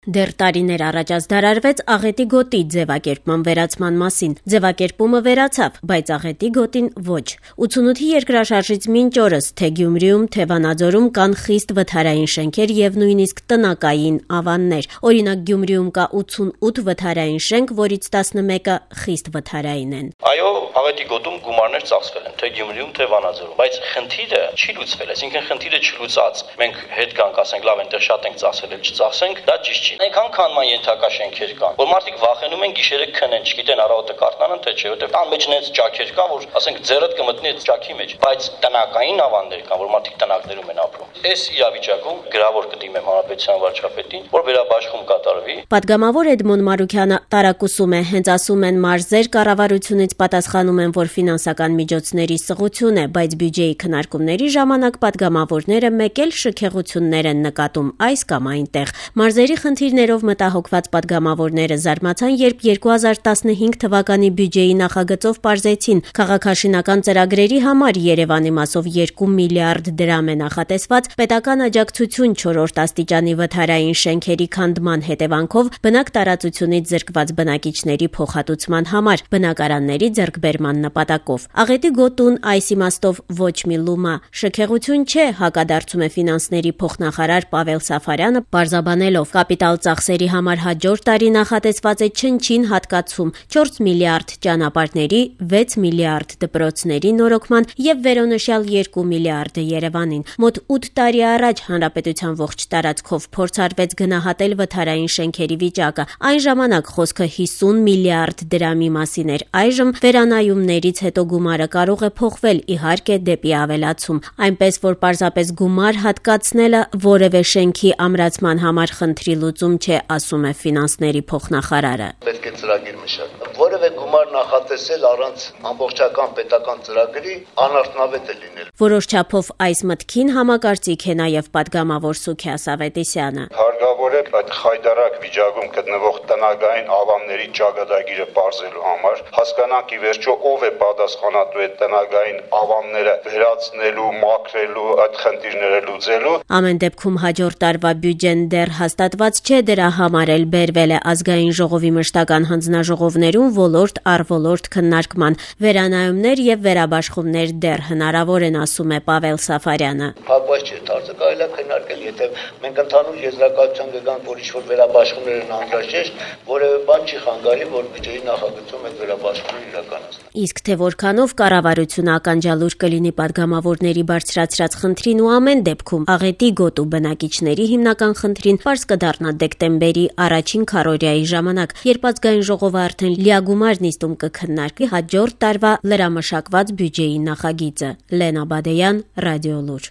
Դեռ տարիներ առաջ ազդարարվեց աղետի գոտի ձևակերպման վերացման մասին։ Ձևակերպումը վերացավ, բայց աղետի գոտին ոչ։ 88-ի երկրաշարժից մինչ օրս թե Գյումրիում, թե Վանաձորում կան խիստ վթարային շենքեր եւ նույնիսկ տնակային ավաններ։ Օրինակ Գյումրիում կա 88 վթարային շենք, որից 11-ը խիստ վթարային են։ Այո, աղետի գոտում գումարներ ծախսվել են, թե Գյումրիում, թե Վանաձորում, բայց խնդիրը չի լուծվել, այսինքն խնդիրը չլուծած։ Մենք հետ կանք ասենք, լավ, այնտեղ շատ ենք ծախսել, չծախսենք, դա ճիշտ չի։ Այնքան քանման ենթակա շենքեր կան, որ մարդիկ վախենում են գիշերը քնեն, չգիտեն առավոտը կարթնանան թե չէ, որտեղ տան մեջ նենց ճաքեր կան, որ ասենք ձեռդ կմտնի այդ ճաքի մեջ, բայց տնակային ավաններ կան, որ մարդիկ տնակներում են ապրում։ Այս իրավիճակում գրավոր կդիմեմ հանրապետության վարչապետին, որ վերաբաշխում կատարվի։ Պատգամավոր Էդմոն Մարուքյանը տարակուսում է, հենց ասում են մարզեր կառավարությունից պատասխանում են, որ ֆինանսական միջոցների սղություն է, բայց բյուջեի քննարկումների ժամանակ պատգամավորները մեկ էլ շքեղություններ են նկատում այս կամ այնտեղ։ Մարզերի խնդիրներով մտահոգված պատգամավորները զարմացան, երբ 2015 թվականի բյուջեի նախագծով պարզեցին քաղաքաշինական ծրագրերի համար Երևանի մասով 2 միլիարդ դրամ է նախատեսված պետական աջակցություն 4-րդ աստիճանի վթարային շենքերի քանդման հետևանքով բնակ տարածությունից զրկված բնակիչների փոխհատուցման համար բնակարանների ձեռքբերման նպատակով։ Աղետի գոտուն այս իմաստով ոչ մի լումա շքեղություն չէ, հակադարձում է ֆինանսների փոխնախարար Պավել Սաֆարյանը, պարզաբանելով կապիտալ ծախսերի համար հաջորդ տարի նախատեսված է չնչին հատկացում 4 միլիարդ ճանապարհների, 6 միլիարդ դպրոցների նորոգման եւ վերոնշյալ 2 միլիարդը Երևանին։ Մոտ 8 տարի առաջ հանրապետության ողջ տարածքով փորձարվեց գնահատել վթարային շենքերի վիճակը։ Այն ժամանակ խոսքը 50 միլիարդ դրամի մասին էր։ Այժմ վերանայումներից հետո գումարը կարող է փոխվել, իհարկե դեպի ավելացում, այնպես որ պարզապես գումար հատկացնելը որևէ շենքի ամրացման համար խնդրի լուծում չէ, ասում է ֆինանսների փոխնախարարը։ Պետք է ծրագիր մշակել։ Որևէ գումար նախատեսել առանց ամբողջական պետական ծրագրի անարդյունավետ է լինել։ Որոշ չափով այս մտքին համակարծիք է նաև պատգամավոր Սուքիաս Ավետիսյանը։ Հարկավոր է այդ խայտարակ վիճակում գտնվող տնագային ավանների ճակատագիրը բարձելու համար հասկանանք ի վերջո ով է պատասխանատու այդ տնագային ավանները վերացնելու, մաքրելու, այդ խնդիրները լուծելու։ Ամեն դեպքում հաջորդ տարվա բյուջեն դեռ հաստատված չէ, դրա համար էլ բերվել է ազգային ժողովի մշտական հանձնաժողովներում ոլորտ առ ոլորտ քննարկման։ Վերանայումներ եւ վերաբաշխումներ դեռ հնարավոր են, ասում է Պավել Սաֆարյանը։ Հակված չէ, դարձը կարելի է քննարկել, եթե մենք ընդհանուր եզրակացության կգանք, որ ինչ-որ վերաբաշխումներ են անհրաժեշտ, որևէ բան չի խանգարի, որ բյուջեի նախագծում այդ վերաբաշխումները իրականացնել։ Իսկ թե որքանով կառավարությունը ականջալուր կլինի պատգամավորների բարձրացրած խնդրին ու ամեն դեպքում աղետի գոտու բնակիչների հիմնական խնդրին պարզ կդառնա դեկտեմբերի առաջին քառորյայի ժամանակ, երբ ազգային ժողովը արդեն լիագումար նիստում կքննարկի հաջորդ տարվա լրամշակված բյուջեի նախագիծը։ Լենա Բադեյան, Ռադիոլուր։